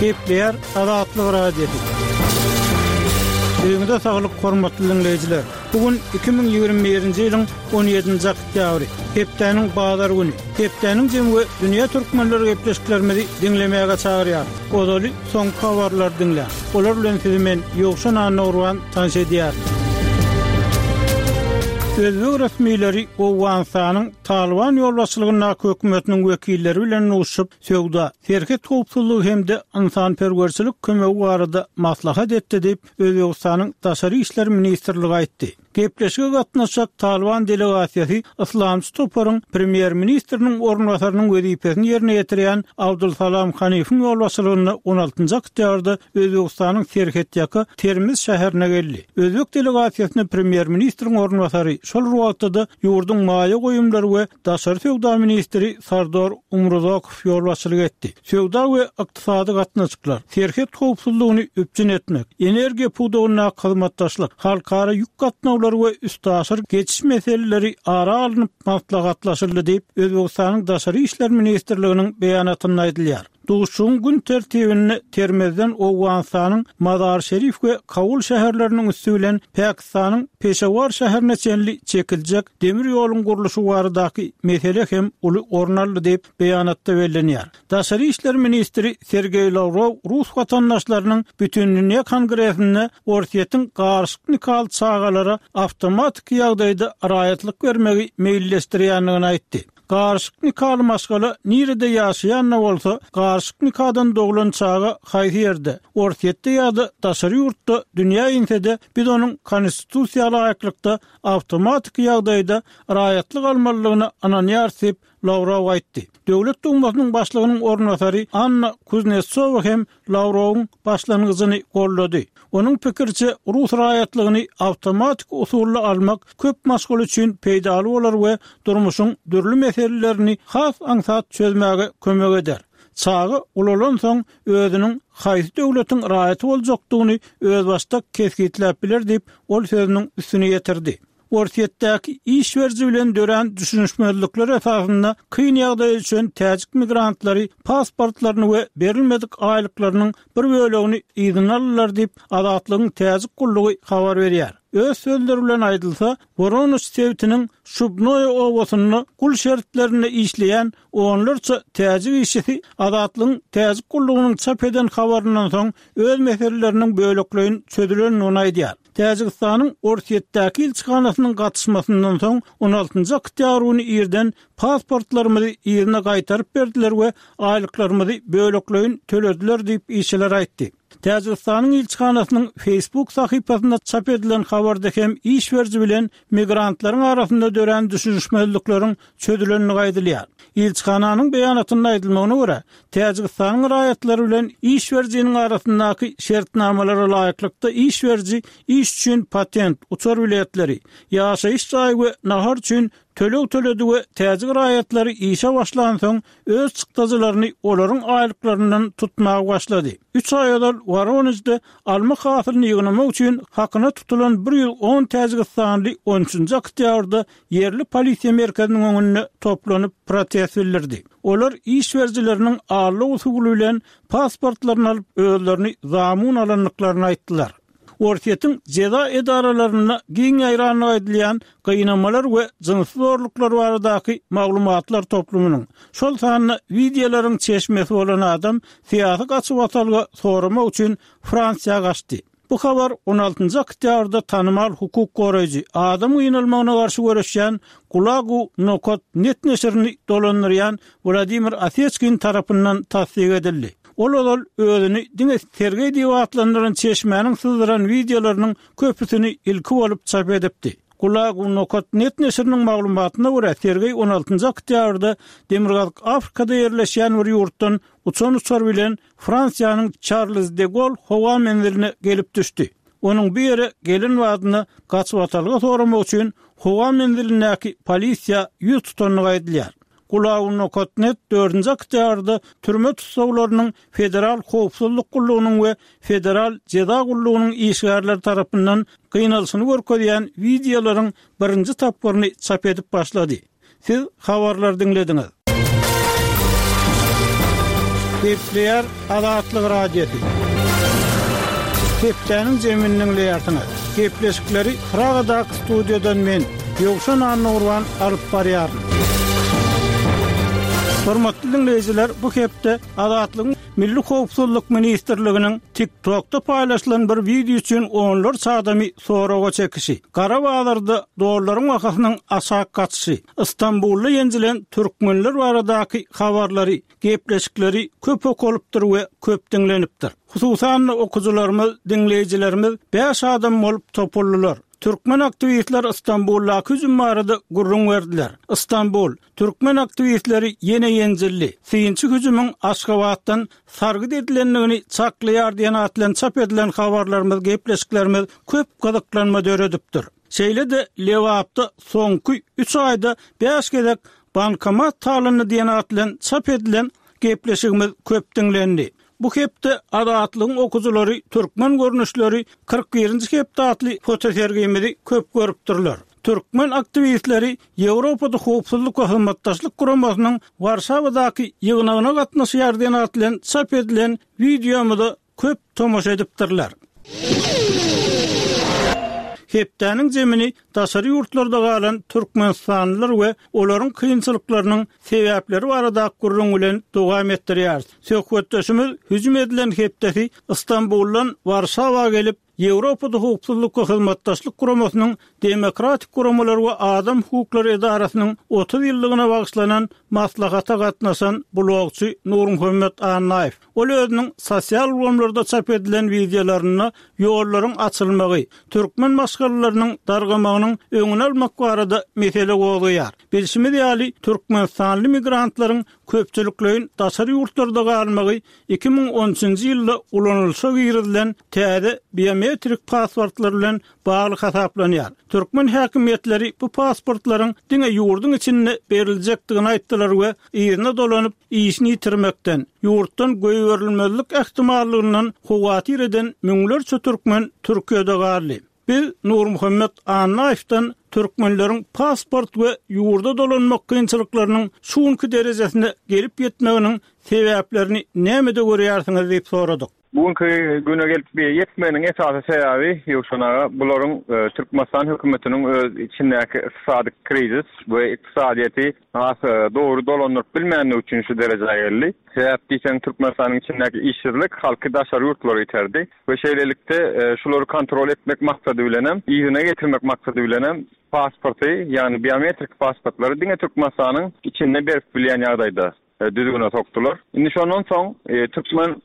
Gepleýär Azatlyk Radiosy. Öýüňize saglyk hormatly diňleýjiler. Bu gün 2021-nji ýylyň 17-nji oktýabry, hepdäniň bazar güni. Hepdäniň jemi we dünýä türkmenleri gepleşiklerimizi diňlemäge çagyrýar. Ozaly soňky habarlary diňläň. Olar bilen sizi men Ýowşan Annagurban tanyş edýärin. Özbek resmileri Owganystanyň Talyban ýolbaşçylygyndaky hökümetiniň wekilleri bilen duşuşyp, söwda, serhet howpsuzlygy hem-de ynsanperwerçilik kömegi barada maslahat etdi diýip, Özbegistanyň Daşary işler ministrligi aýtdy. Gepleşige gatnaşjak Talyban delegasiýasy yslamçy toparyň premýer-ministriniň orunbasarynyň wezipesini ýerine ýetirýän Abdulsalam Hanifiň ýolbaşçylygynda on altynjy oktýabrda Özbegistanyň serhetýaka Termiz şäherine geldi. Özbek delegasiýasyna premýer-ministriň orunbasary, şol bir wagtda-da ýurduň maýa goýumlary we daşary söwda ministri Sardor Umruzakow ýolbaşçylyk etdi. Söwda we ykdysady gatnaşyklar, serhet howpsuzlygyny üpjün etmek, energiýa pudagyndaky hyzmatdaşlyk, halkara ýük gatnawlary we üstaşyr geçiş meseleleri ara alnyp maslahatlaşyldy diýip, Özbegistanyň Daşary işler ministrliginiň beýanatynda aýdylýar. Duşuşygyň gün tertibinde Termezden Owganystanyň Mazar-Şerif we Kabul şäherleriniň üsti bilen Pakistanyň Peşewar şäherine çenli çekiljek demir ýoluň gurluşygy baradaky mesele hem uly orun aldy diýip, beýanatda bellenýär. Daşary işler ministri Sergeý Lawrow rus watandaşlarynyň Bütindünýä kongresinde Orsýetiň garyşyk nikaly çagalara awtomatiki ýagdaýda raýatlyk bermegi meýilleşdirýändigini aýtdy. Garyşyk nikaly maşgala nirede ýaşaýan-da bolsa, garyşyk nikadan doglan çaga haýsy ýerde, Orsýetde ýa-da daşary ýurtda dünýä inse-de, biz onuň Konstitusiýa laýyklykda awtomatiki ýagdaýda raýatlyk almalydygyna ynanýarys diýip, Lawrow aýtdy. Döwlet Dumasynyň başlygynyň orunbasary Anna Kuznetsowa hem Lawrowyň başlangyjyny goldady. Onuň pikiriçe, rus raýatlygyny awtomatik usulda almak köp maşgala üçin peýdaly bolar we durmuşyň dürli meselelerini has aňsat çözmäge kömek eder. Çaga ulalansoň özüniň haýsy döwletiň raýaty boljakdygyny özbaşdak kesgitläp biler diýip, ol sözüniň üstüni ýetirdi. Orsýetdäki iş beriji bilen dörän düşünişmezlikler esasynda kyn ýagdaýa düşen täjik migrantlary pasportlaryny we berilmedik aýlyklarynyň bir bölegini yzyna aldylar diýip, Azatlygyň täjik gullugy habar berýär. Öz sözleri bilen aýdylsa, Woronež sebitiniň Şubnoýe obasynda gul şertlerinde işleýän onlarça täjik işçisi Azatlygyň täjik gullugynyň çap eden habaryndan soň öz meseleleriniň bölekleýin çözülendigini aýdýar. Täjigistanyň Orsýetdäki ilçihanasynyň gatyşmasyndan soň, on altynjy oktýabr güni irden pasportlarymyzy yzyna gaýtaryp berdiler we aýlyklarymyzy bölekleýin tölediler diýip, işçiler aýtdy. Täjigistanyň ilçihanasynyň Facebook sahypasynda çap edilen habarda hem iş beriji bilen migrantlaryň arasynda dörän düşünişmezlikleriň çözülendigi aýdylýar. Ilçihananyň beýanatynda aýdylmagyna görä, Täjigistanyň raýatlary bilen iş berijiniň arasyndaky şertnamalara laýyklykda iş beriji iş üçin patent, uçar biletleri, ýaşaýyş jaýy we nahar üçin töleg töledi we täjik raýatlary işe başlansoň öz çykdajylaryny olaryň aýlyklaryndan tutmaga başlady. Üç aý ozal Woronežde alma hasylyny ýygnamak üçin hakyna tutulan 110 täjigistanly on üçünji oktýabrda ýerli polisiýa merkeziniň öňünde toplanyp, protest bildirdi. Olar iş berijileriniň aldaw usuly bilen pasportlaryny alyp, özlerini zamun alandyklaryny aýtdylar. Orsýetiň jeza edaralarynda giň ýaýrandygy aýdylýan gynamalar we jynsy zorluklar baradaky maglumatlar toplumynyň, şol sanda wideolaryň çeşmesi bolan adam syýasy gaçybatalga soramak üçin Fransiýa gaçdy. Bu habar on altynjy oktýabrda tanymal hukuk goraýjy, adam gynalmagyna garşy göreşýän Gulagu nokat net neşirini dolandyrýan Wladimir Oseçkin tarapyndan tassyk edildi. Ol ozal özüni diňe Sergeý diýip atlandyran çeşmäniň syzdyran wideolarynyň köpüsini ilki bolup çap edipdi. Gulagu nokat net neşiriniň maglumatyna görä, Sergeý on altynjy oktýabrda Demirgazyk Afrikada ýerleşýän bir ýurtdan uçan uçar bilen Fransiýanyň Çarlz de Goll howa menziline gelip düşdi. Onuň bu ýere gelen badyna gaçybatalga soramak üçin howa menzilindäki polisiýa ýüz tutandygy aýdylýar. Gulagynokat-net dördünji oktýabrda türme tussaglarynyň Federal howpsuzlyk gullugynyň we Federal jeza gullugynyň işgärleri tarapyndan gynalyşyny görkezýän wideolaryň birinji tapgyryny çap edip başlady. Siz habarlary diňlediňiz. Gepleýär Azatlyk Radiosy. Hepdäniň jemini diňleýärsiňiz. Gepleşikleri Pragadaky studiýadan men, Ýowşan Annagurban alyp barýaryn. Hormatly diňleýjiler, bu hepde Azatlygyň Milli howpsuzlyk ministrliginiň TikTokda paýlaşylan bir wideo üçin onlarça adamy soraga çekişi, gara bazarda dollaryň bahasynyň aşak gaçyşy, Stambulda ýenjilen türkmenler baradaky habarlary, gepleşikleri köp okalypdyr we köp diňlenipdir. Hususan-da, okyjylarymyz, diňleýjilerimiz bäş adam bolup topuldylar. Türkmen aktiwistler Stambuldaky hüjüm barada gürrüň berdiler. Stambul, Türkmen aktiwistleri ýene ýenjildi. Synçy hüjümiň Aşgabatdan sargyt edilendigini çaklaýar diýen at bilen çap edilen habarlarymyz, gepleşiklerimiz köp gyzyklanma döredipdir. Şeýle-de Lebapda soňky üç aýda bäş gezek bankomat talandy diýen at bilen çap edilen gepleşigimiz köp diňlendi. Bu hepde Azatlygyň okyjylary Türkmen görnüşleri 41-nji hepde atly fotosergimizi köp görüpdirler. Türkmen aktiwistleri Ýewropada Howpsuzlyk we Hyzmatdaşlyk Guramasynyň Warşawadaky ýygnagyna gatnaşýar diýen at bilen çap edilen wideomyza köp tomaşa edipdirler. Hepdäniň jemini daşary ýurtlarda galan türkmenistanlylar we olaryň kynçylyklarynyň sebäpleri baradaky gürrüň bilen dowam etdirýäris. Söhbetdeşimiz hüjüm edilen hepdesi Stambuldan Warşawa gelip, Ýewropada Howpsuzlyk we Hyzmatdaşlyk Guramasynyň Demokratik guramalar we adam hukuklary edarasynyň 30 ýyllygyna bagyşlanan maslahata gatnaşan blogçy Nurmuhammet Annaýew. Ol özüniň sosial ulgamlarda çap edilen wideolarynda ýollaryň açylmagy, türkmen maşgalalarynyň dargamagynyň öňüni almak barada mesele gozgaýar. Bilşimiz ýaly, türkmenistanly migrantlaryň köpçülikleýin daşary ýurtlarda galmagy 2013-nji ýylda ulanylyşa girizilen täze biometrik pasportlar bilen bagly hasaplanýar. Türkmen häkimiýetleri bu pasportlaryň diňe ýurduň içinde beriljekdigini aýtdylar we yzyna dolanyp, işini ýitirmekden, ýurtdan goýberilmezlik ähtimallygyndan howatyr eden müňlerçe türkmen Türkiýede galdy. Biz Nurmuhammet Annaýewden türkmenleriň pasport we ýurda dolanmak kynçylyklarynyň şu günki derejesine gelip ýetmeginiň sebäplerini nämede görýärsiňiz diýip soradyk. Bu günki güne gelip ýetmeginiň esasy sebäbi, Ýowşan aga, bularyň Türkmenistan hökümetiniň öz içindäki ykdysady krizis we ykdysadyýeti has dogry dolandyryp bilmänligi üçin şu derejä geldi. Sebäp diýseň, Türkmenistanyň içindäki işsizlik halky daşary ýurtlara iterdi we şeýlelikde şulary kontrol etmek maksady bilenem, yzyna getirmek maksady bilenem pasporty, ýagny biometrik pasportlary diňe Türkmenistanyň içinde berip bilýän ýagdaýda düzgüne sokdular. Indi şondan soň türkmen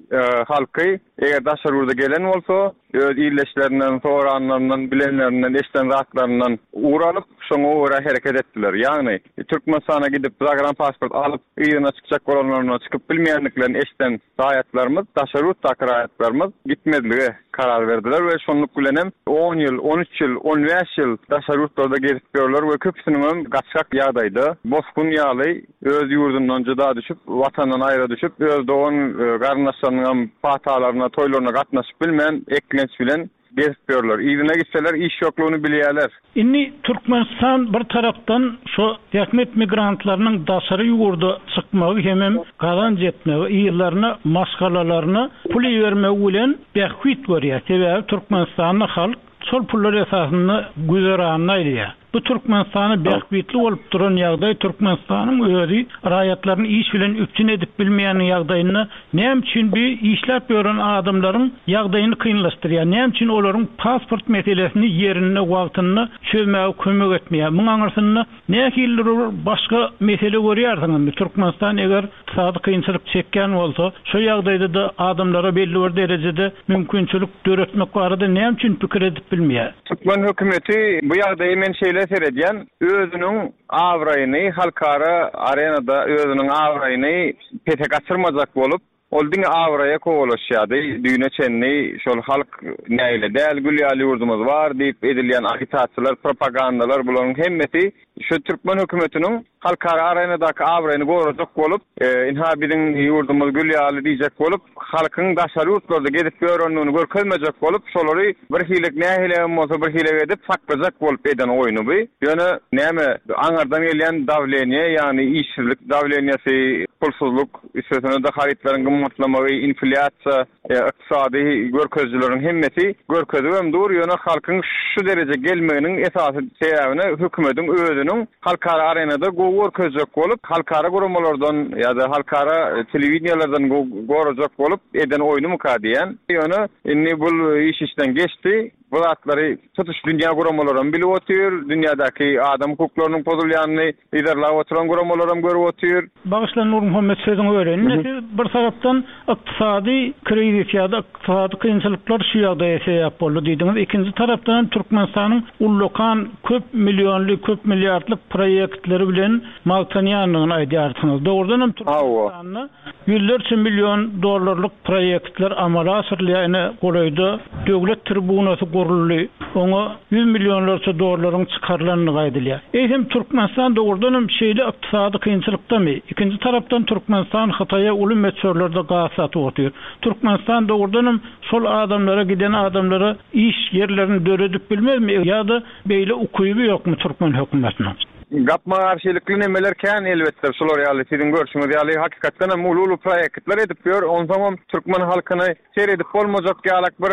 halky eger daşary ýurda gelen bolsa, öz ildeşlerinden, soranlaryndan, bilenlerinden, eşiden zatlaryndan ugur alyp, şoňa görä hereket etdiler. Ýagny, Türkmenistana gidip zagranpasport alyp, yzyna çykjak bolanlarynda çykyp bilmeýändiklerini eşiden raýatlarymyz, daşary ýurtdaky raýatlarymyz gitmezlige karar berdiler we şonluk bilenem on ýyl, on üç ýyl, on bäş ýyl daşary ýurtlarda gezip ýörler we köpüsiniňem gaçgak ýagdaýda, bosgun ýaly öz ýurdundan jyda düşüp, Watandan aýra düşüp, öz dogan garyndaşlarynyňam patalaryna, toýlaryna gatnaşyp bilmän, eklenç bilen gezip ýörler. Yzyna gitseler iş ýoklugyny bilýärler. Indi Türkmenistan bir tarapdan şo zähmet migrantlarynyň daşary ýurda çykmagy hemem gazanç etmegi, yzlaryna, maşgalalaryna pul ibermegi bilen bähbit görýär. Sebäbi Türkmenistanda halk şol pullar esasynda güzeranyny aýlaýar. Bu Türkmenistana bähbitli bolup duran ýagdaý Türkmenistanyň özi raýatlaryny iş bilen üpjün edip bilmeýän ýagdaýynda näme üçin bu işläp ýören adamlaryň ýagdaýyny kynlaşdyrýar, näme üçin olaryň pasport meselesini ýerinde wagtynda çözmäge kömek etmeýär? Muň aňyrsynda nähilidir bir başga mesele görýärsiňizmi? Türkmenistan eger ykdysady kynçylyk çekýän bolsa, şo ýagdaýda-da adamlara belli bir derejede mümkinçilik döretmek barada näme üçin pikir edip bilmeýär? Türkmen hökümeti bu ýagdaýa men şeýle seredýän, özüniň abraýyny halkara arenada özüniň abraýyny pese gaçyrmajak bolup, ol diňe abraýa kowalaşýardy, düýne çenli şol halk nägile däl, gül ýaly ýurdumyz bar diýip edilýän agitasiýalar, propagandalar bularyň hemmesi. Şu türkmen hökümetiniň halkara arenadaky abraýyny gorajak bolup, ynha biziň ýurdumyz gül ýaly diýjek bolup, halkyň daşary ýurtlarda gezip ýörendigini görkezmejek bolup, şolary birhili nähili hem bolsa birhili edip saklajak bolup eden oýny bu. Ýöne näme aňyrdan gelýän dawleniýe, ýagny işsizlik dawleniýesi, pulsuzlyk, üstesine-de harytlaryň gymmatlamagy, inflýasiýa, Ykdysady görkezijileriň hemmesi görkezibem dur, ýöne halkyň şu derejä gelmeginiň esasy sebäbine hökümediň özüniň halkara arenada gowy görkezjek bolup, halkara guramalardan ýa-da halkara telewideniýalardan gorajak bolup eden oýnumyka diýýän. Ýöne indi bul iş işden geçdi. Bu zatlary tutuş dünýä guramalaram bilip otyr, dünýädäki adam hukuklarynyň pozulýanyny yzarlap oturan guramalaram görüp otyr. Bagyşla Nurmuhammet sözüňi böleýin. Indi siz bir tarapdan ykdysady krizis ýa-da ykdysady kynçylyklar şu ýagdaýa sebäp boldy diýdiňiz. Ikinji tarapdan hem Türkmenistanyň ullakan köp millionly, köp milliardlyk proýektleri bilen magtanýandygyny aýdýarsyňyz. Dogrudan hem Türkmenistanda Ýüzlerçe million dollarlyk proýektler amala aşyrylýar, ine, golaýda Döwlet tribunasy guruldy, oňa ýüz millionlarça dollaryň çykarylandygy aýdylýar. Eýsem, Türkmenistan dogrudan hem şeýle ykdysady kynçylykdamy? Ikinji tarapdan, Türkmenistan Hytaýa uly möçberlerde gaz satyp otyr. Türkmenistan dogrudan hem şol adamlara, giden adamlara iş ýerlerini döredip bilmezmi ýa-da beýle ukyby ýokmy türkmen hökümetiniň? Gapma-garşylykly nemeler kän elbetde şular ýaly siziň görşüňiz ýaly hakykatdan hem uly-uly proýektler edip ýör onsoňam türkmen halkyny seredip bolmajak ýalak bir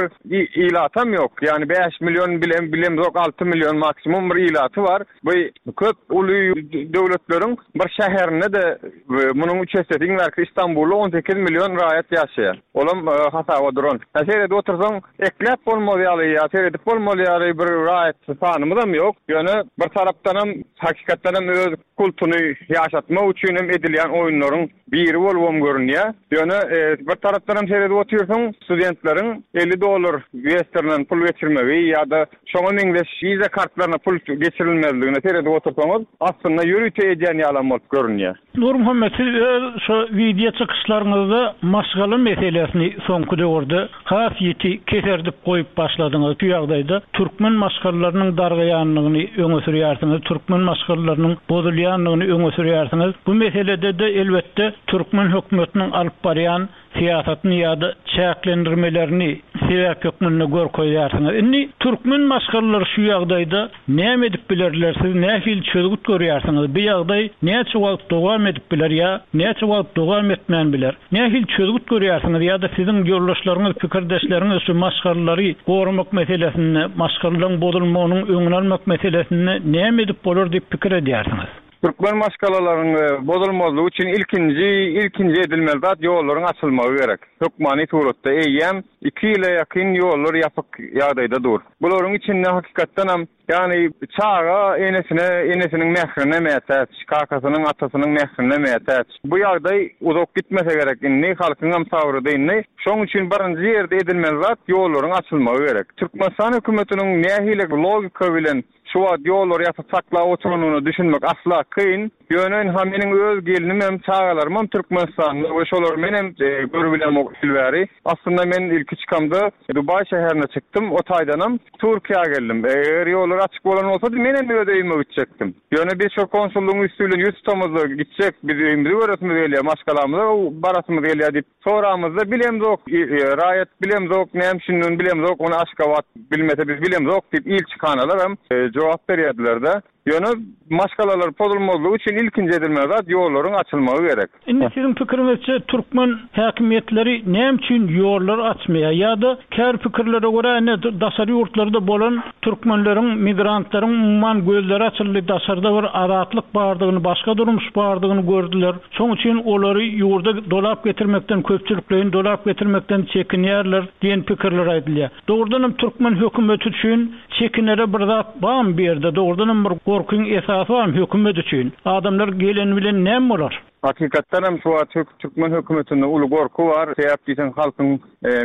ilatam ýok ýagny 5 million bilem bilemzok 6 million maksimum bir ilaty bar bu köp uly döwletleriň bir şäherinde-de munuň üç essesi iň bärkisi Istanbulda 18 million raýat ýaşaýar olam hasaba duran hä seredip otursaň Ekläp bolmaz ýaly ýa seredip bolmaz ýaly bir raýat sanymyzam ýok. Ýöne bir tarapdanam hakykatdanam öz kultuny ýaşatmak üçin hem edilýän oýunlaryň biri bolubam görünýär. Ýöne bir tarapdanam seredip otyrsyň studentleriň 50 dollar Westernden pul geçirmegi ýa-da şoňa meňzeş wiza kartlaryna pul geçirilmezligine seredip otursaňyz aslynda ýörite edýän ýalam bolup görünýär. Nurmuhammet, siz öz şo wideo çykyşlaryňyzda maşgala meselesini soňky döwürde has ýiti keserdip goýup başladyňyz. Şu ýagdaýda türkmen maşgalalarynyň dargaýandygyny öňe sürýärsiňiz, türkmen maşgalalarynyň bozulýandygyny öňe sürýärsiňiz. Bu meselede-de elbetde türkmen hökümetiniň alyp barýan syýasatyny ýa-da çäklendirmelerini sebäp hökmünde görkezýärsiňiz. Indi türkmen maşgalalary şu ýagdaýda näme edip bilerler, siz nähili çözgüt görýärsiňiz? Bu ýagdaý näçe wagt dowam edip biler ýa näçe wagt dowam etmän biler? Nähili çözgüt görýärsiňiz ýa-da siziň ýoldaşlaryňyz, pikirdeşleriňiz şu maşgalalary goramak meselesinde, maşgalalaryň bozulmagynyň öňüni almak meselesinde näme edip bolar diýip pikir edýärsiňiz? Türkmen maşgalalaryň bozulmazlygy üçin ilkinji ilkinji edilmeli zat ýollaryň açylmagy gerek. Hökmany suratda eýýäm iki ýyla ýakyn ýollar ýapyk ýagdaýda dur. Bularyň içinde hakykatdanam ýagny çaga enesine enesiniň mährine mätäç, kakasynyň atasynyň mährine mätäç. Bu ýagdaý uzak gitmese gerek indi halkyňam sabry dyndy. Şoň üçin birinji ýerde edilmeli zat ýollaryň açylmagy gerek. Türkmenistan hökümetiniň nähili logika bilen Şu wagt ýollary ýapyp saklap oturanyna düşünmek asla kyn. Ýöne ynha meniň öz gelnimem, çagalarymam Türkmenistanda we şolary menem görübilemok il bäri. Aslynda men ilki çykamda Dubaý şäherine çykdym, o taýdanam Türkiýä geldim. Eger ýollar açyk bolan bolsady menem öz öýüme gitjekdim. Ýöne biz şol konsullygyň üsti bilen ýüz tutamyzda gitjek, biz öýümizi göresimiz gelýär, maşgalamyza barasymyz gelýär diýip Soramyzda bilemzok, raýat bilemzok, näme üçindigini bilemzok, ony Aşgabat bilmese biz bilemzok diýip ilçihanalaram jogap berýärdiler-de. Ýöne maşgalalar pozulmazlygy üçin ilkinji edilmeli zat ýollaryň açylmagy gerek. Indi siziň pikiriňizçe türkmen häkimiýetleri näme üçin ýollary açmaýar? Ýa-da käbir pikirlere görä ine daşary ýurtlarda bolan türkmenleriň, migrantlaryň umuman gözleri açyldy, daşarda bir azatlyk bardygyny, başga durmuş bardygyny gördüler. Şoň üçin olary ýurda dolap getirmekden, köpçülikleýin dolap getirmekden çekinýärler diýen pikirler aýdylýar. Dogrudanam türkmen hökümeti üçin çekinere bir zat barmy bu ýerde? Dogrudanam bir gorkyň esasy barmy hökümet üçin? Adamlar geleni bilen näme bolar? Hakykatdan hem şu wagt türkmen hökümetinde uly gorky bar. Sebäp diýseň halkyň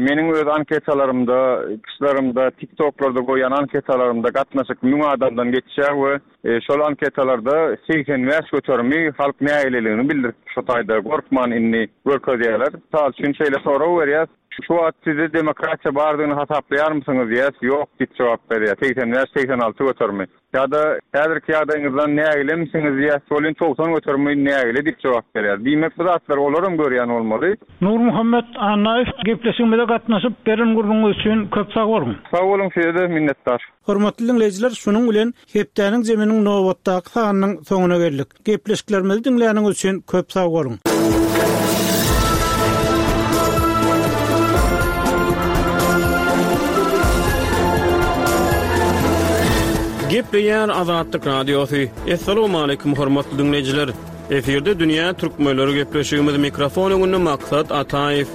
meniň öz anketalarymda, çykyşlarymda, TikToklarda goýýan anketalarymda gatnaşyk 1000 adamdan geçýär we şol anketalarda 85 göterimi halk nägileligini bildirip şu taýda gorkman indi görkezýärler. Mysal üçin şeýle sorag berýäs. Şu wagt sizde demokratiýa bardygyny hasaplaýarmysyňyz diýýäs, ýok diýip jogap berýär, 85, 86 göterimi. Ýa-da häzirki ýagdaýyňyzdan nägilemisiňiz diýýäs welin 90 göterimi nägile diýip jogap berýär. Diýmek bu zatlary olaram görýän bolmaly. Nurmuhammet Annaýew gepleşigimize gatnaşyp beren gürrüňiňiz üçin köp sag boluň. Sag boluň size-de minnetdar. Hormatly diňleýjiler şunuň bilen hepdäniň zeminiň nobatdaky sanynyň soňuna geldik. Gepleşiklerimizi diňläniňiz üçin köp sag boluň. Gepleýär Azatlyk Radiosy. Assalamualaikum hormatly diňleýjiler. Efirde dünýä türkmenleri gepleşigimiz mikrofon öňünde Maksat Ataýew.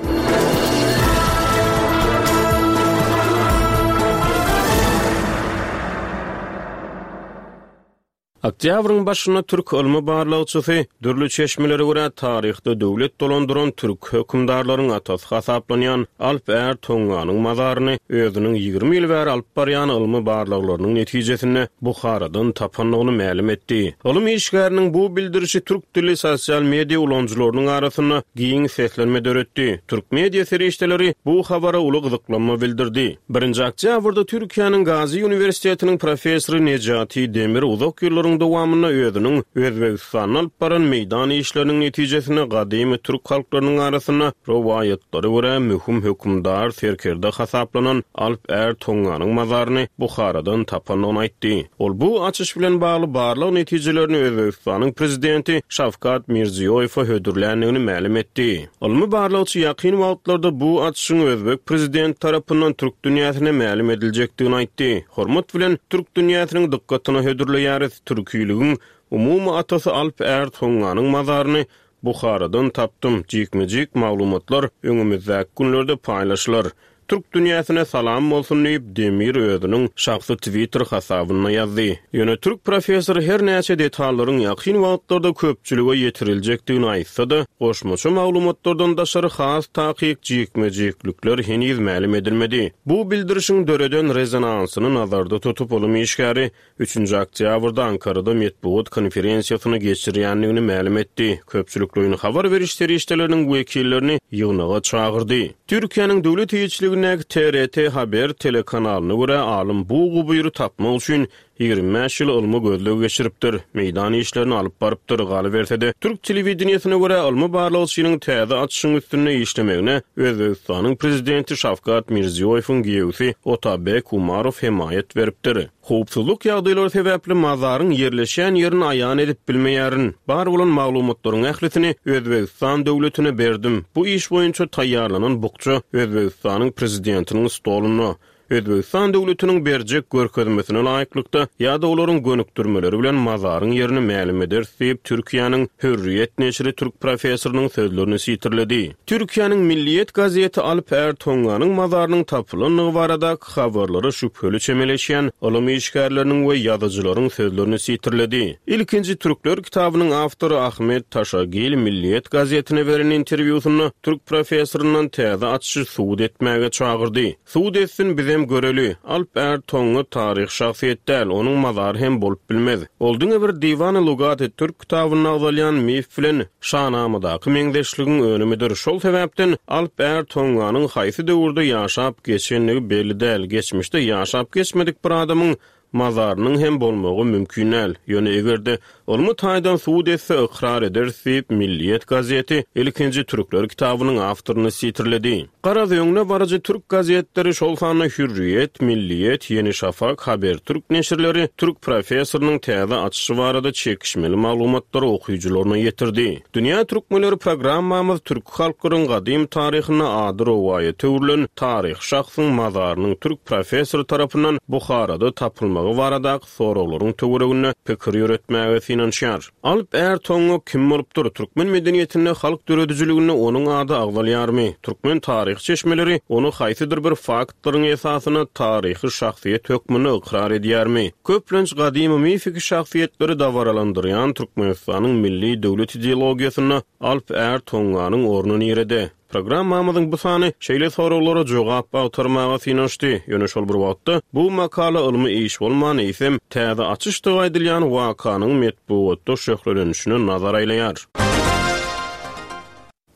Oktýabryň başynda türk ylmy barlagçysy, dürli çeşmelere görä taryhda döwlet dolandyran türk hökümdarlaryň atasy hasaplanýan Alp Är Tonganyň mazaryny özüniň 20 ýyl bäri alyp barýan ylmy barlaglarynyň netijesinde Buharadan tapandygyny mälim etdi. Ylym işgäriniň bu bildirişi türk dilli sosial media ulanyjylarynyň arasynda giň seslenme döretdi. Türk media serişdeleri bu habara uly gyzyklanma bildirdi. Birinji oktýabrda Türkiýäniň Gazi uniwersitetiniň professory Nejati Demir uzak ýyllaryň dowamynda özüniň Özbegistanda alyp baran meýdan işleriniň netijesinde gadymy türk halklarynyň arasynda rowaýatlara görä möhüm hökümdar, serkerde hasaplanan Alp Är Tonganyň mazaryny Buharadan tapandygyny aýtdy. Ol bu açyş bilen bagly barlag netijelerini Özbegistanyň prezidenti Şawkat Mirziýoýewe hödürländigini mälim etdi. Ylmy barlagçy ýakyn wagtlarda bu açyşyň özbek prezidenti tarapyndan türk dünýäsine mälim ediljekdigini aýtdy. Hormat bilen, türk dünýäsiniň dykgatyna hödürleýäris, türkiligiň umumy atasy Alp Är Tonganyň mazaryny Buharadan tapdym, jikme-jik maglumatlar öňümizdäki günlerde paýlaşylar. Türk dünýäsine salam bolsun diýip, Demir özüniň şahsy Twitter hasabynda ýazdy. Ýöne türk professory her näçe detallaryň ýakyn wagtlarda köpçülige ýetiriljekdigini aýtsa-da, goşmaça maglumatlardan daşary has takyk jikme-jiklikler heniz mälim edilmedi. Bu bildirişiň döreden rezonansyny nazarda tutup, ylym işgäri Üçünji oktýabrda Ankarada metbugat konferensiýasyny geçirýändigini mälim etdi, köpçülikleýin habar beriş serişdeleriniň wekillerini ýygnaga çagyrdy. Türkiýäniň döwlet eýeçiligindäki TRT Haber telekanalyna görä, alym bu gubyry tapmak üçin 25 ýyl ylmy gözleg geçiripdir, meýdan işlerini alyp barypdyr. Galyberse-de, türk telewideniýesine görä, ylmy barlagçynyň täze açyşyň üstünde işlemegine Özbegistanyň prezidenti Şawkat Mirziýoýewiň giýewsi Otabek Umarow hemaýat beripdir. Howpsuzlyk ýagdaýlary sebäpli mazaryň ýerleşýän ýerini aýan edip bilmeýärin. Bar bolan maglumatlaryň ählisini Özbegistan döwletine berdim. Bu iş boýunça taýýarlanan bukja Özbegistanyň Prezidentiniň stolunda. Özbegistan döwletiniň berjek görkezmesine laýyklykda ýa-da olaryň gönükdirmeleri bilen mazaryň ýerini mälim ederis diýip, Türkiýäniň Hürriýet neşiri türk professorynyň sözlerini sitirledi. Türkiýäniň Milliýet gazeti Alp Är Tonganyň mazarynyň tapylandygy baradaky habarlara şübheli çemeleşýän ylym işgärleriniň we ýazyjylaryň sözlerini sitirledi. Ilkinji türkler kitabynyň awtory Ahmet Taşagil Milliýet gazetine beren interwýusynda türk professoryndan täze açyşy subut etmäge çagyrdy. Subut etsin bizem göreli. Alp Är Tonga taryhy şahsyýet däl, onuň mazary hem bolup bilmez. Ol diňe bir Diwany Lugaty Türk kitabynda agzalýan mif bilen Şanamadaky meňzeşligiň önümidir. Şol sebäpden Alp Är Tonganyň haýsy döwürde ýaşap geçendigi belli däl. Geçmişde ýaşap geçmedik bir adamyň mazarynyň hem bolmagy mümkin däl. Ýöne eger-de ylmy taýdan subut etse ykrar ederis diýip, Milliýet gazeti Ilkinji türkler kitabynyň awtoryny sitirledi. Garaz, öňde baryjy türk gazetleri, şol sanda Hürriýet, Milliýet, Ýeni Şafak, Habertürk neşirleri türk professorynyň täze açyşy barada çekişmeli maglumatlary okyjylaryna ýetirdi. Dünýä türkmenleri programmamyz türki halklaryň gadym taryhynda ady rowaýata öwrülen taryhy şahsyň mazarynyň türk professory tarapyndan Buharada tapylmagy baradaky soraglaryň töwereginde pikir ýöretmäge synanyşdy. synanyşýar. Alp Är Toňňa kim bolupdyr? Türkmen medeniýetinde, halk döredijiliginde onuň ady agzalýarmy? Türkmen taryhy çeşmeleri ony haýsydyr bir faktlaryň esasynda taryhy şahsyýet hökmünde ykrar edýärmi? Köplenç gadymy mifiki şahsyýetleri dabaralandyrýan Türkmenistanyň milli döwlet ideologiýasynda Alp Är Toňňanyň orny nirede? Programmamyzyň bu sany şeýle soraglara jogap agtarmaga synanyşdy, ýöne şol bir wagtda bu makala ylmy iş bolman, eýsem, täze açyşdygy aýdylýan wakanyň metbugatda şöhlelenişine nazar aýlaýar.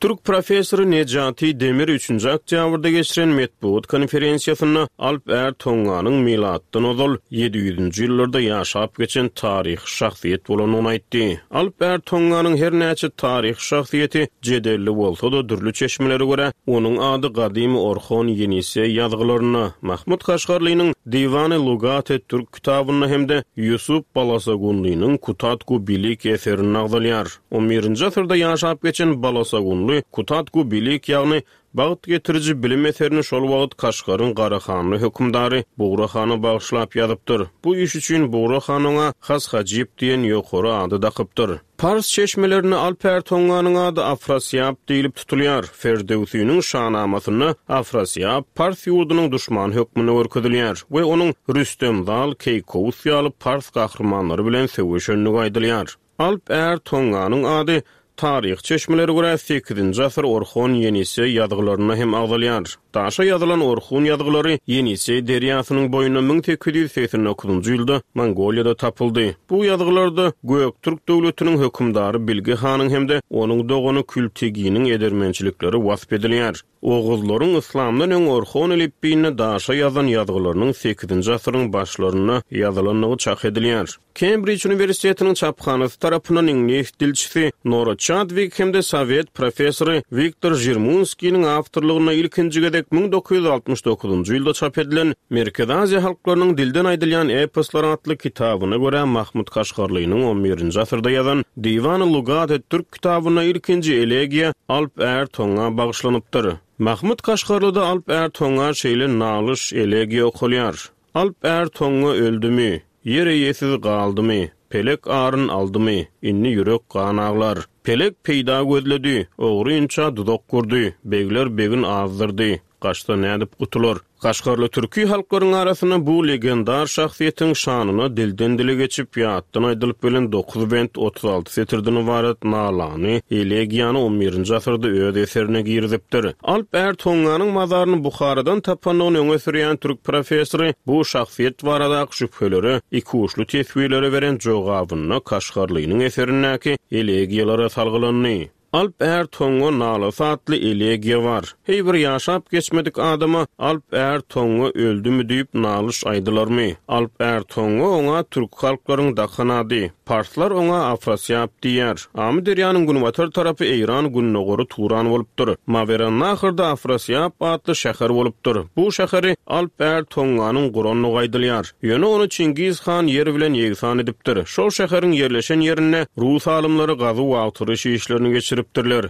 Türk professory Nejati Demir üçünji oktýabrda geçiren metbugat konferensiýasynda Alp Är Tonganyň milatdan ozal ýedi ýüzünji ýyllarda ýaşap geçen taryhy şahsyýet bolandygyny aýtdy. Alp Är Tonganyň her näçe taryhy şahsyýeti jedelli bolsa-da, dürli çeşmelere görä, onuň ady gadymy Orhon-Ýeniseý ýazgylarynda, Mahmyt Kaşgarlynyň Diwany Lugat-et-Türk kitabynda hem-de Ýusup Balasagunlynyň Kutatgu Bilik eserinde agzalýar. On birinji asyrda ýaşap geçen Balasagunly Kutatgu Bilik, ýagny Bagt getiriji bilim eserini şol wagt Kaşgaryň Garahanly hökümdary Bugra hana bagyşlap ýazypdyr. Bu iş üçin Bugra han oňa Has Hajyp diýen ýokary ady dakypdyr. Pars çeşmelerinde Alp Är Tonganyň ady Afrasýab diýlip tutulýar. Ferdöwsiniň Şanamasynda Afrasýab pars ýurdunyň duşmany hökmünde görkezilýär we onuň Rüstem Zal, Keýkowus ýaly pars gahrymanlary bilen söweşendigi aýdylýar. Alp Är Tonganyň ady taryhy çeşmelere görä sekizinji asyr Orhon-Ýeniseý ýazgylarynda hem agzalýar. Daşa ýazylan Orhun ýazgylary Ýeniseý derýasynyň boýunda 1889-njy ýylda Mongoliýada tapyldy. Bu ýazgylarda Göktürk döwletiniň hökümdary Bilge hanyň hem-de onuň dogany Külteginiň edermençilikleri wasp edilýär. Oguzlaryň yslamdan öň Orhon elipbiýinde daşa ýazan ýazgylarynyň sekizinji asyryň başlarynda ýazylandygy çak edilýär. Kembrij uniwersitetiniň çaphanasy tarapyndan iňlis dilçisi Nora Çadwik hem-de sowet professory Wiktor Žirmunskiniň awtorlygynda ilkinji gezek 1969-njy ýylda çap edilen Merkezi Aziýa halklarynyň dilden aýdylýan eposlary atly kitabyna görä Mahmyt Kaşgarlynyň on birinji asyrda ýazan Diwany Lugat-et-Türk Kitabynda ilkinji elegiýa Alp Är Toňa bagyşlanypdyr. Mahmyt Kaşgarlyda Alp Är Toňa şeýle nalyş, elegiýa okalýar, Alp Är Toňa öldümi, Ýer eýesiz galdymy, Pelek aryn aldymy, Indi ýürek gan aglar. Pelek peýda gözledi, Ogrynça duzak gurdy, Begler begin azdyrdy, Gaçsa nädip gutular? Kaşgarly türki halklaryň arasynda bu legendar şahsyýetiň şanyna dilden-dile geçip, ýatdan aýdylyp gelen dokuz bent, 36 setirden ybarat nalany, elegiýany on birinji asyrda öz eserine girizipdir. Alp Är Tonganyň mazaryny Buharadan tapandygyny öňe sürýän türk professory bu şahsyýet baradaky şübhelere, ikuçly teswirlere beren jogabynda Kaşgarlynyň eserindäki elegiýalara salgylandy. Alp Är Toňňa nalasy atly elegiýa bar. Heý bir ýaşap geçmedik adama Alp Är Toňňa öldümi diýip nalyş aýdylarmy? Alp Är Toňňa oňa türki halklaryň dakan ady. Parslar oňa Afrasýap diýýär. Amyderýanyň günbatar tarapy Eýran gündogary Turan bolupdyr. Mawerannahrda Afrasýap atly şäher bolupdyr. Bu şäheri Alp Är Toňňanyň gurandygy aýdylýar. Ýöne ony Çingiz han ýer bilen ýegsan edipdir. Şol şäheriň ýerleşen ýerinde rus alymlary gazuw-agtaryş işlerini geçiripdirler.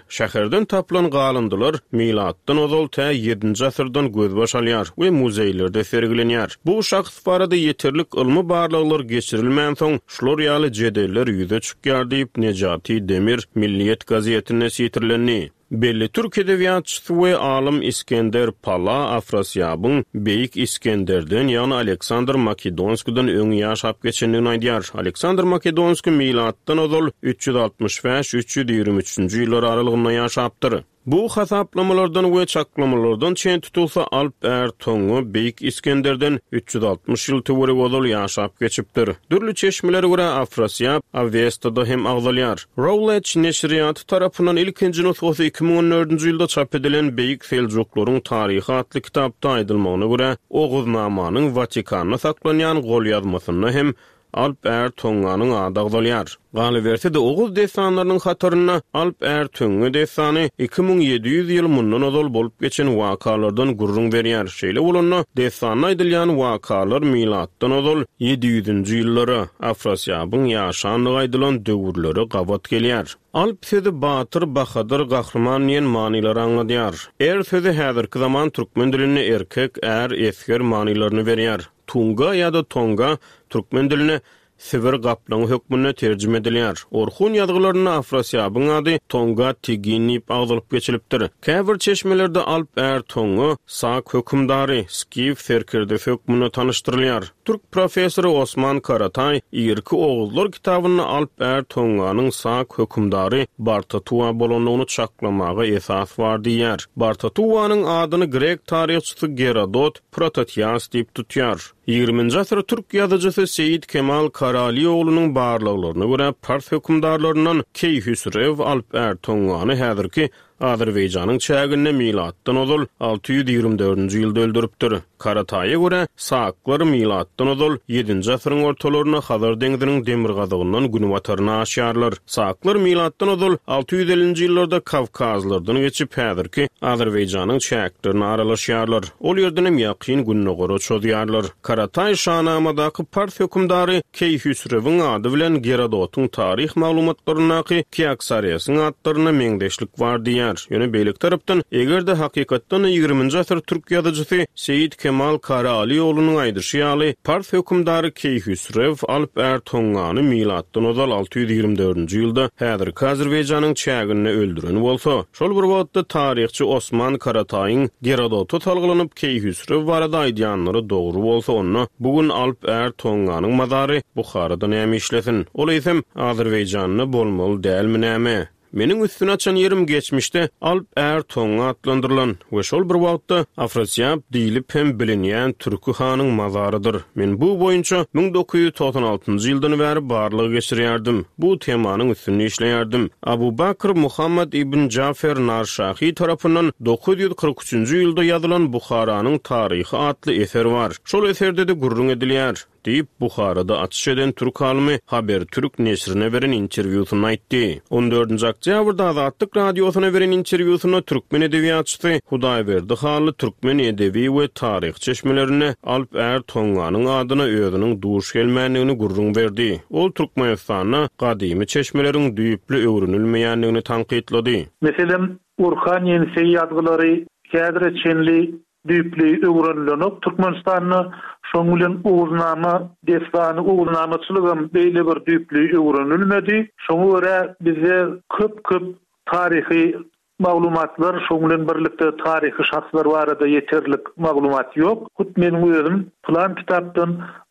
Şäherden tapylan galyndylar milatdan ozal tä ýedinji asyrdan gözbaş alýar we muzeýlerde sergilenýär. Bu şahs barada ýeterlik ylmy barlaglar geçirilmänsoň, şular ýaly jedeller ýüze çykýar diýip, Nejati Demir Milliýet gazetinde sitirlendi. Belli türk edebiýatçysy we alym Iskender Pala Afrasýabyň Beýik Iskenderden, ýagny Aleksandr Makedonskiden öň ýaşap geçendigini aýdýar. Aleksandr Makedonskiý milatdan ozal 365, 323-nji ýyllar aralygynda ýaşapdyr. Bu hasaplamalardan we çaklamalardan çen tutulsa, Alp Är Toňňa Beýik Iskenderden 360 ýyl töweregi ozal ýaşap geçipdir. Dürli çeşmelere görä, Afrasýab Awestada hem agzalýar. Routledge neşirýaty tarapyndan ilkinji nusgasy 2014-nji ýylda çap edilen Beýik Seljuklaryň taryhy atly kitapda aýdylmagyna görä, Oguznamanyň Watikanda saklanýan golýazmasynda hem Alp Är Toňňanyň ady agzalýar. Galyberse-de, oguz dessanlarynyň hatarynda Alp Är Töňňe dessany 2700 ýyl mundan ozal bolup geçen wakalardan gürrüň berýär. Şeýle bolanda, dessanda aýdylýan wakalar milatdan ozal ýedi ýüzünji ýyllara, Afrasýabyň ýaşandygy aýdylan döwürlere gabat gelýär. Alp sözi batyr, bahadyr, gahryman diýen manylary aňladýar. Er sözi häzirki zaman türkmen dilinde erkek, är, esger manylaryny berýär. Tunga ýa-da Tonga türkmen diline. Sibir gaplaňy hökmünde terjime edilýär. Orhun ýazgylarynda Afrasýabyň ady Tonga Tigin diýip agzalyp geçilipdir. Käbir çeşmelerde Alp Är Tonga sak hökümdary, skif serkerdesi hökmünde tanyşdyrylýar. Türk professory Osman Karataý Irki oguzlar kitabynda Alp Är Tonganyň sak hökümdary Bartatuwa bolandygyny çaklamaga esas bar diýýär. Bartatuwanyň adyny grek taryhçysy Gerodot Prototias diýip tutýar. Ýigriminji asyr türk ýazyjysy Seýit Kemal Karalioglunyň barlaglaryna görä, pars hökümdarlaryndan Keýhüsrew Alp Är Tongany häzirki Azerbaýjanyň çäginde milatdan ozal 624-nji ýylda öldüripdir. Karataýa görä, saklar milatdan ozal ýedinji asyryň ortalarynda Hazar deňziniň demirgazygyndan günbataryna aşýarlar. Saklar milatdan ozal 650-nji ýyllarda Kawkazlardan geçip, häzirki Azerbaýjanyň çäklerine aralaşýarlar. Ol ýerdenem Ýakyn Gündogara çozýarlar. Karataý Şanamadaky pars hökümdary Keýhüsrewiň ady bilen Gerodotyň taryh maglumatlaryndaky Kiaksaresiň atlarynda meňzeşlik bar diýýär. Ýöne beýleki tarapdan, eger-de hakykatdan-da ýigriminji asyr türk ýazyjysy Seýit Kemal Karaalyoglunyň aýdyşy ýaly, pars hökümdary Keýhüsrew Alp Är Tongany milatdan ozal 624-nji ýylda häzirki Azerbaýjanyň çäginde öldüren bolsa, Şol bir wagtda taryhçy Osman Karataýyň Gerodota salgylanyp Keýhüsrew barada aýdýanlary dogry bolsa onda bu gün Alp Är Tonganyň mazary Buharada näme işlesin? Ol eýsem Azerbaýjanda bolmaly dälmi näme? Meniň üstüni açan ýerim geçmişde Alp Är Tonga atlandyrylan we şol bir wagtda Afrasiýab diýlip hem bilinýän türki hanyň mazarydyr. Men bu boýunça 1996-njy ýyldan bäri barlag geçirýärdim. Bu temanyň üstünde işleýärdim. Abu Bakr Muhammad ibn Jafer Narşahy tarapyndan 943-nji ýylda ýazylan Buharanyň taryhy atly eser bar. Şol eserde-de gürrüň edilýär, diýip, Buharada açyş eden türk alymy Habertürk neşirine beren interwýusynda aýtdy. On dördünji oktýabrda Azatlyk Radiosyna beren interwýusynda türkmen edebiýatçysy Hudaýberdi Hally türkmen edebi we taryhy çeşmelerinde Alp Är Tonganyň adyna özüniň duş gelmändigini gürrüň berdi. Ol Türkmenistanda gadymy çeşmeleriň düýpli öwrenilmeýändigini tankytlady. Meselem, Orhan-Ýeniseý ýazgylary häzire çenli düýpli öwrenilenok Türkmenistanda. Şonuň bilen Oguznama dessany, oguznamaçylygam beýle bir düýpli öwrenilmedi. Şoňa görä bizde köp-köp taryhy Maglumatlar, şoň bilen birlikde taryhy şahslar barada ýeterlik maglumat ýok. Hut meniň özüm pylan kitapdan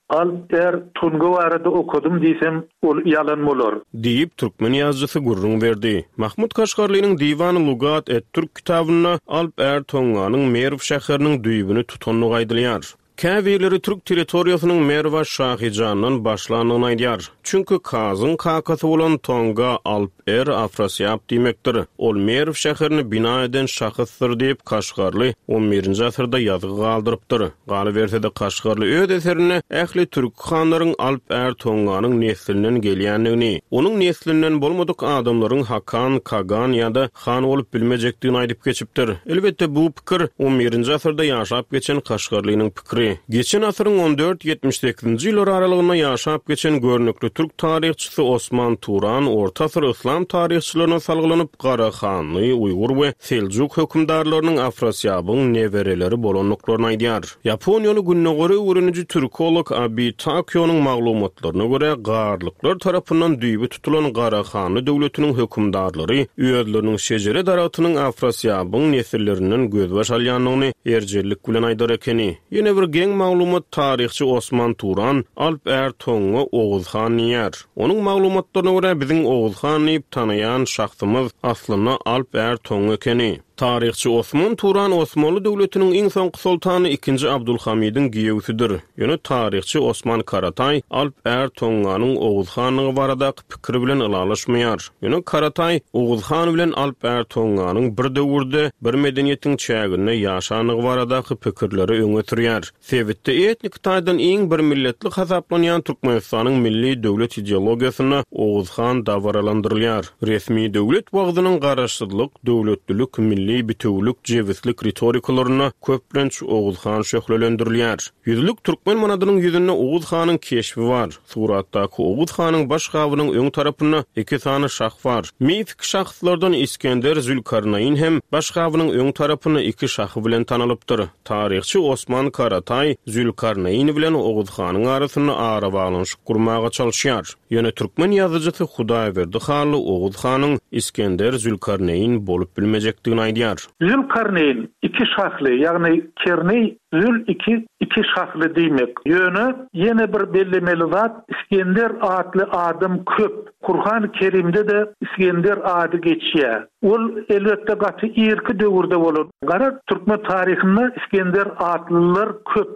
Alp Är Tunga barada okadym diýsem, ol ýalan bolar. Diýip, türkmen ýazyjysy gürrüň berdi. Mahmut Kaşgarlynyň Diwany Lugat et-Türk kitabynda Alp Är Tonganyň Merw şäheriniň düýbüni tutandygy aýdylýar. Käbirleri türk territoriýasynyň Merwa Şahyjandan başlandygyny aýdýar. Çünki Kazyň kakasy bolan Tonga Alp Er Afrasýab diýmekdir. Ol Merw şäherini bina eden şahysdyr diýip, Kaşgarly on birinji asyrda ýazgy galdyrypdyr. Galyberse-de Kaşgarly öz eserinde ähli türki hanlaryň Alp Är Tonganyň neslinden gelýändigini, onuň neslinden bolmadyk adamlaryň hakan, kagan ýa-da han bolup bilmejekdigini aýdyp geçipdir. Elbetde, bu pikir on birinji asyrda ýaşap geçen Kaşgarlynyň pikiri. Geçen asyryň on dört, 78-nji ýyllary aralygynda ýaşap geçen görnükli türk taryhçysy Osman Turan orta asyr yslam taryhçylaryna salgylanyp, Garahanly, uýgur we seljuk hökümdarlarynyň Afrasýabyň nebereleri bolandyklaryny aýdýar. Ýaponiýaly gündogary öwreniji türkolog Abi Takyonyň maglumatlaryna görä, garlyklar tarapyndan düýbi tutulan Garahanly döwletiniň hökümdarlary özleriniň şejere daragtynyň Afrasýabyň nesillerinden gözbaş alýandygyny erjellik bilen aýdar ekeni. Ýene bir geň maglumat taryhçy Osman Turan Alp Är Toňňa Oguz han diýýär. Onuň maglumatlaryna görä, biziň Oguz han diýip tanaýan şahsymyz aslynda Alp Är Toňňa ekeni. Taryhçy Osman Turan Osmanly döwletiniň iň soňky soltany ikinji Abdulhamydyň giýewsidir. Ýöne taryhçy Osman Karataý Alp Är Toňňanyň Oguz hanlygy baradaky pikiri bilen ylalaşmaýar. Ýöne Karataý Oguz han bilen Alp Är Toňňanyň bir döwürde, bir medeniýetiň çäginde ýaşandygy baradaky pikirleri öňe sürýär. Sebitde etnik taýdan iň bir milletli hasaplanýan Türkmenistanyň milli döwlet ideologiýasynda Oguz han dabaralandyrylýar. Resmi döwlet wagzynyň garaşsyzlyk, döwletlilik, milli. Milli bitewülik, jebislik ritorikalarynda köplenç Oguz han şöhlelendirilýär. Ýüzlük türkmen manadynyň ýüzünde Oguz hanyň keşbi bar. Suratdaky Oguz hanyň baş gabynyň öň tarapynda iki sany şah bar. Mifiki şahslardan Isgender Zülkarnaýyn hem baş gabynyň öň tarapynda iki şahy bilen tanalypdyr. Taryhçy Osman Karataý Zülkarnaýyn bilen Oguz hanyň arasynda arabaglanyşyk gurmaga çalyşýar. Ýöne türkmen ýazyjysy Hudaýberdi Hally Oguz hanyň Isgender Zülkarneýin bolup bilmejekdigini aýdýar. Zülkarneýin iki şahly, ýagny kerneý zül iki, iki şahly diýmek. Ýöne ýene bir bellemeli zat, Isgender atly adam köp. Kurhany Kerimde-de Isgender ady geçýär. Ol, elbetde, gaty irki döwürde bolan. Garaz, türkmen taryhynda Isgender atlylar köp.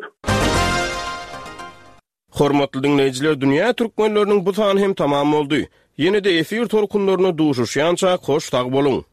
Hormatly diňleýjiler Dünýä Türkmenleriniň bu sany hem tamam boldy. Ýene-de efir tolkunlarynda duşuşýançak hoş sag boluň!